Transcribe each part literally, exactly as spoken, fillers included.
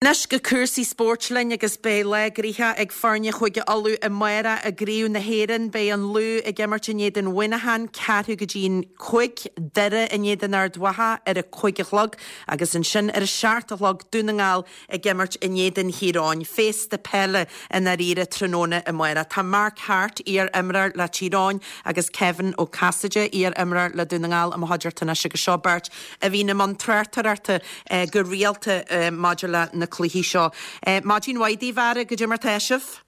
Anois go cúrsaí spóirt linn agus beidh lá gnoitheach ag foirne Chúige Uladh amárach i gCraobh na hÉireann. Beidh an Lú ag imirt in éadan Mhuineacháin ceathrú go dtí an cúig, Doire in éadan Ard Mhacha ar a cúig a chlog agus ansin ar a seacht a chlog Dún na nGall ag imirt in éadan Thír Eoghain. Féasta peile i ndáiríre tráthnóna amárach. Tá Mark Harte, iar-imreoir le Tír Eoghain agus Kevin Ó Casaide, iar-imreoir le Dún na nGall i mo chuideachta anois agus seo beirt a bhíonn i mbun tráchtaireachta go rialta maidir le na cluichí seo. Maidin mhaith daoibh, a fheara, goidé mar tá sibh?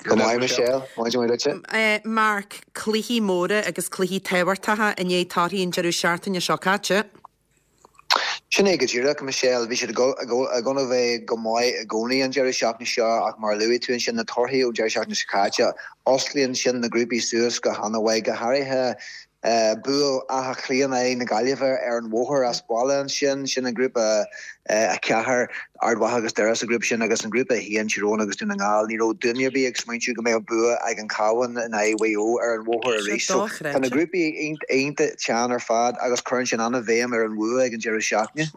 Go maith, Michelle. Maidin mhaith duitse. Mark, cluichí móra agus cluichí tábhachtacha i ndiaidh torthaí an deireadh seachtaine seo caite. Sin é go díreach, Michelle. Bhí siad ag dul a bheith go maith i gcónaí an deireadh seachtaine seo ach mar a luaigh tú ansin na torthaí ón deireadh seachtaine seo caite, osclaíonn sin na grúpaí suas go han-mhaith, go háirithe bua Átha Cliath in aghaidh na Gaillimhe ar an bhóthar as baile ansin, sin an grúpa a ceathair, Ard Mhacha agus Doire sa ghrúpa sin agus an grúpa a haon, Tír Eoghain agus Dún na nGall. Ní raibh duine ar bith ag smaointiú go mbeadh bua ag an Cabhán in aghaidh Mhaigh Eo ar an bhóthar arís. So tá na grúpaí iontach teann ar fad agus cuireann sin an-bhéim ar an bhua ag an deireadh seachtaine.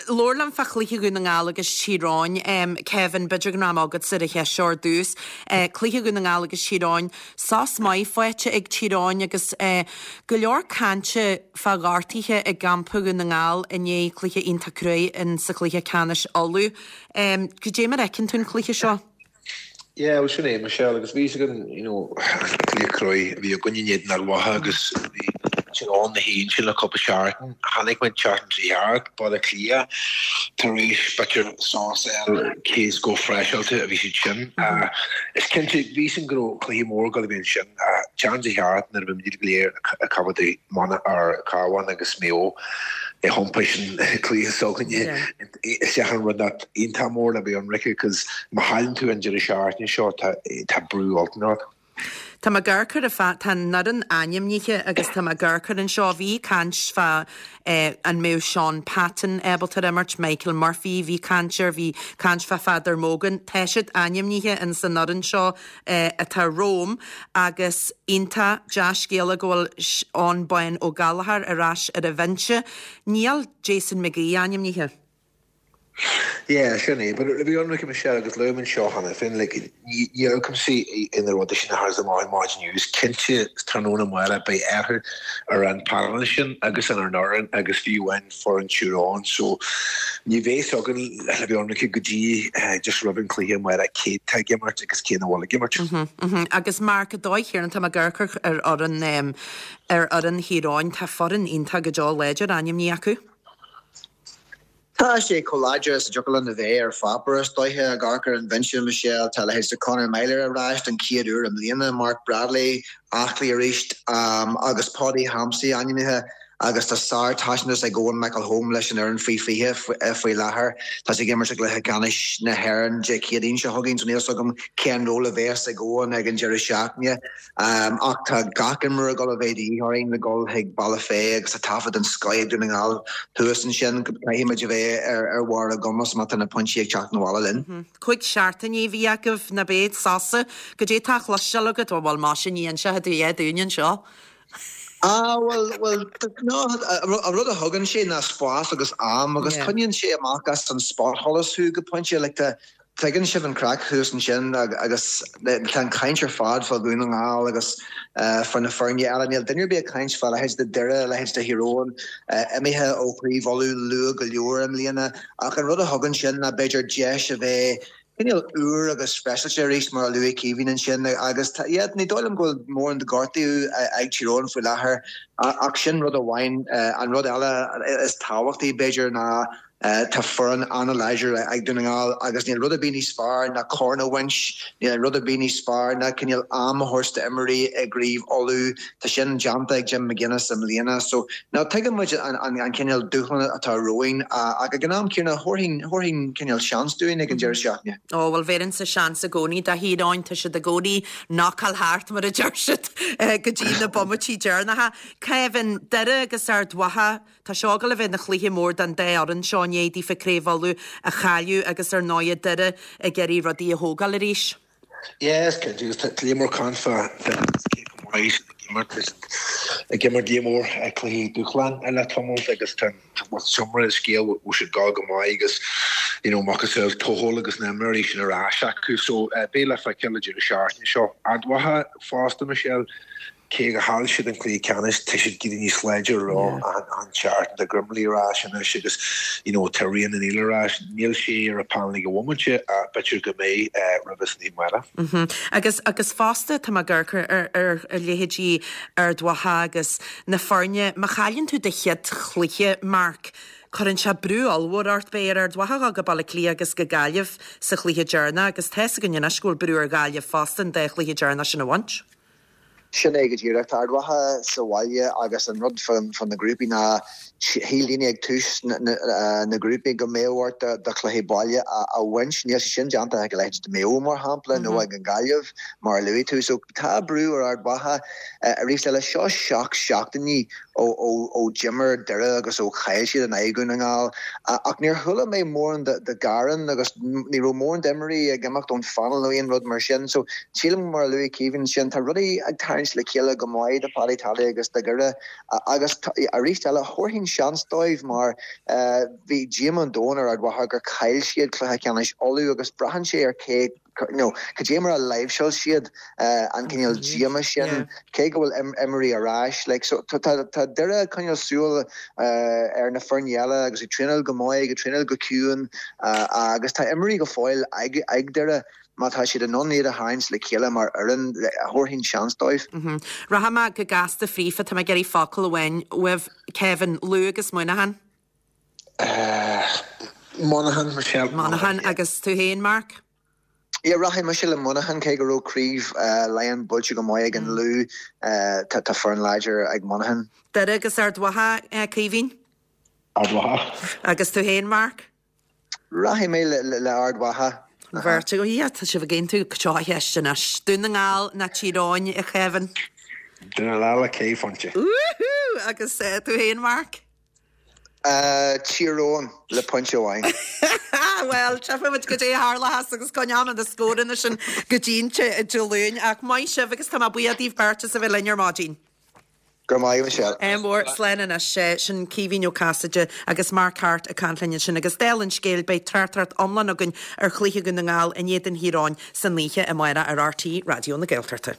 Labhair liom fá chluiche Dhún na nGall agus Tír Eoghain. Kevin, b'fhéidir go mbeidh am agatsa ar an cheist seo ar dtús. Cluiche Dhún na nGall agus Tír Eoghain, sos maith faighte ag Tír Eoghain agus go leor cainte fá ghortuithe i gcampa Dhún na nGall i ndiaidh cluiche iontach cruaidh in sa chluiche ceannais Uladh. Goidé mar a fheiceann tú an cluiche seo? Yeah, well sin é, Michelle, agus bhí againn, you know, an cluiche cruaidh a bhí againn in éadan Ard Mhacha agus bhí Tír Eoghain na haon sin le cúpla seachtain. Chonaic muid seachtain trí thart, Baile Átha Cliath, tar éis b'fhéidir sos a fháil cé is chomh freiseáilte a bhí siad sin. Is cinnte, bhí sin go raibh cluiche mór ag dul a bheith ansin. Seachtain trí thart nuair a bhí muid go léir ag coimhéad mana ar Cabhán agus Maigh Eo i thiompais sin cluiche s'againne isteach an rud that iontach mór le bheith ionraic cos má chailleann tú an deireadh seachtaine seo tá tá brú ollmhór ort. Tá mé ag amharc ar an fa tá an fhoireann ainmnithe agus tá mé ag amharc air anseo. Bhí caint fá an mbeadh Sean Patton ábalta ar imirt, Michael Murphy, bhí caint air, bhí caint fá Pheadar Mogan. Tá siad ainmnithe in san fhoireann seo atá romham agus iontach dea-scéala go bhfuil Eoghan Bán Ó Gallchóir ar ais ar an bhinse. Níl Jason McGee ainmnithe. Yeah, sin é, but le bheith ionraic Michelle agus luaigh mé anseo cheana féin, like, ní ní amharcaimse ina rudaí sin a tharla amach i maidin news, cinnte tráthnóna amárach beidh athrú ar an panel sin agus ar an fhoireann agus fiú amháin foireann Tír Eoghain, so ní bheidh againn le bheith ionraic go dtí just roimh an cluiche amárach cé tá ag imirt agus cé nach bhfuil ag imirt. Mm-hmm, agus Mark, an dóigh chéanna tá mé ag amharc ar fhoireann ar fhoireann Thír Eoghain, tá foireann iontach go deo láidir ainmnithe acu. Tá sé chomh láidir is a dtiocfadh linn a bheith ar pháipéar is dóiche ag amharc ar an bhinse Michelle tá leithéid de Conor Meyler ar ais don chéad uair i mbliana, Mark Bradley aclaí arís agus Paudie Hampsey ainmnithe agus tá sár-taispeántas ag Owen McElholm leis an fhoireann faoi fiche faoi láthair. Tá sé ag imirt i gcluiche ceannais na hÉireann Dé Céadaoin seo chugainn so níl a fhios agam cén ról a bheas ag Owen ag an deireadh seachtaine. Ach tá gach imreoir ag dul a bheith de dhíth orainn le dul chuig Bealach Féich agus tá taifead den scoith ag Dún na nGall thuas ansin. Caithfidh muid a bheith ar bharr ár gcumas má tá na pointí ag teacht na bhaile linn. Cúig seachtaine a bhí agaibh ná beidh sosa. Goidé tá á chloisteáil agat, bhuel más sin ní inseoidh tú é dúinn anseo. Ah bhuel bhuel no an rud a thugann sé ná spás agus am agus coinníonn sé amach as an spotsholas thú go pointe like tá tuigeann sibh an craic thuas ansin agus tá an caint ar fad fá Dhún na nGall agus fá na foirne eile. Níl duine ar bith ag caint fá leithéid de Doire, leithéid de Thír Eoghain imithe ó Chraobh Uladh luath go leor i mbliana. Ach an rud a thugann sin ná b'fhéidir deis a bheith cineál úr agus freiseáilte arís mar a luaigh Caoimhín ansin agus yeah, ní dóigh liom go bhfuil mórán de gortú ag Tír Eoghain faoi láthair ach sin rud amháin an rud eile is tábhachtaí b'fhéidir ná Tá foireann an-láidir ag Dún na nGall agus níl rud ar bith níos fearr ná corn a bhaint, níl rud ar bith níos fearr ná cineál am a thabhairt d'imreoirí i gCraobh Uladh. Tá sin déanta ag Jim McGuinness i mbliana. So, now tuigeann muid an, an, an cineál dúshlán atá romhainn ach ag an am céanna thabharfainn, thabharfainn cineál seans dúinn ag an deireadh seachtaine. Ó, bhuel bhéarfainnse seans i gcónaí do Thír Eoghain, tá siad i gcónaí knockáil thart mar a deir siad go dtí na bomaití deireanacha. Kevin, Doire agus Ard Mhacha, Tá seo ag dul a bheith ina chluiche mór don dá fhoireann seo i ndiaidh daofa Craobh Uladh a chailleadh agus ar ndóighe Doire ag iarraidh rudaí a thógáil arís. Yes, cinnte agus tá léar mór caint fá cé chomh maith siad ag imirt is ag imirt léar mór cluichí dúshláin le tamall agus tá seomra scéal bhfuil siad ag dul go maith agus you know, macasamhail Tohill agus na himreoirí sin ar ais acu. So beidh le feiceáil an deireadh seachtaine seo. Ard Mhacha fosta, Michelle, cé gur chaill siad an cluiche ceannais, tá siad giota níos láidre an tseachtain. Tá Grimley ar ais anois agus you know, tá Rian O'Neill ar ais. Níl sé ar an panel ag an bhomaite ach b'fhéidir go mbeidh roimh san oíche amárach. Agus agus fosta tá mé ag amharc ar ar ar leithéidí Ard Mhacha agus na foirne, má chailleann tú do chéad chluiche, Mark, cuireann sé brú ollmhór ort. Beidh ar Ard Mhacha a dhul go Baile Átha Cliath agus go Gaillimh sa chluiche deireanach agus tá 'fhios againn anois go bhfuil brú ar Ghaillimh fosta an dá chluiche deireanach sin a bhaint. Sin é go díreach. Tá Ard Mhacha sa bhaile agus an rud fá na grúpaí ná shíl daoine ag tús na grúpaí go mbeadh ort do chluiche baile a bhaint. Níl sé sin déanta ag a leithéid de Maigh Eo mar shampla nó ag an Gaillimh mar a luaigh tú. So tá brú ar Ard Mhacha arís eile. Seo seacht seachtainí ó d'imir Doire agus ó chaill siad in aghaidh Dhún na nGall. Ach níor chuala mé mórán de ghearán agus ní raibh mórán d'imreoirí ag imeacht ón phainéal nó aon rud mar sin. So sílim mar a luaigh Caoimhín sin tá rudaí ag tarraingt le chéile go maith do Paddy Tally agus do Dhoire agus arís eile thabharfainn seans dóibh mar bhí díomá an domhain ar Ard Mhacha gur chaill siad cluiche ceannais Uladh agus braitheann sé ar cé no, cad é mar a láimhseáil siad an cineál díomá sin, cé go bhfuil imreoirí ar ais. Like, so tá tá Doire ag coinneáil súil ar na foirne eile agus ag traenáil go maith, ag traenáil go ciúin agus tá imreoirí go fóill ag ag Doire má tá siad in ann iad a tharraingt le chéile mar fhoireann, thabharfainn seans dóibh. Rachaidh mé go gasta fríofa, tá mé ag iarraidh focal amháin uaibh, Kevin, Lú agus Muineachán. Monaghan, Michelle. Monaghan agus tú féin, Mark? Yeah, rachaidh mise le Monaghan cé go raibh craobh Laighean buailte go maith ag an Lú tá tá foireann láidir ag Monaghan. Doire agus Ard Mhacha, Caoimhín? Ard Mhacha. Agus tú féin, Mark? Rachaidh mé le le Ard Mhacha. An bheirt agaibh, yeah, tá sibh ag aontú seo cheist anois. Dún na nGall nó Tír Eoghain, a Kevin? Dún na nGall le ceithre phointe. Woohoo! Agus tú féin, Mark? Tír Eoghain le pointe amháin. Bhuel, tchífimid goidé a tharlós agus coinneoidh na scóranna sin go dtí an Dé Luain. Ach maith sibh agus tá mé buíoch daoibh beirt as a bheith linn ar maidin. Go raibh maith, Michelle. Ádh mór, slán anois. Sin Caoimhín Ó Casaide agus Mark Harte ag caint linn ansin agus dála an scéil beidh tráchtaireacht iomlán againn ar chluiche Dhún na nGall in éadan Thír Eoghain san oíche amárach ar RTÉ Raidió na Gaeltachta.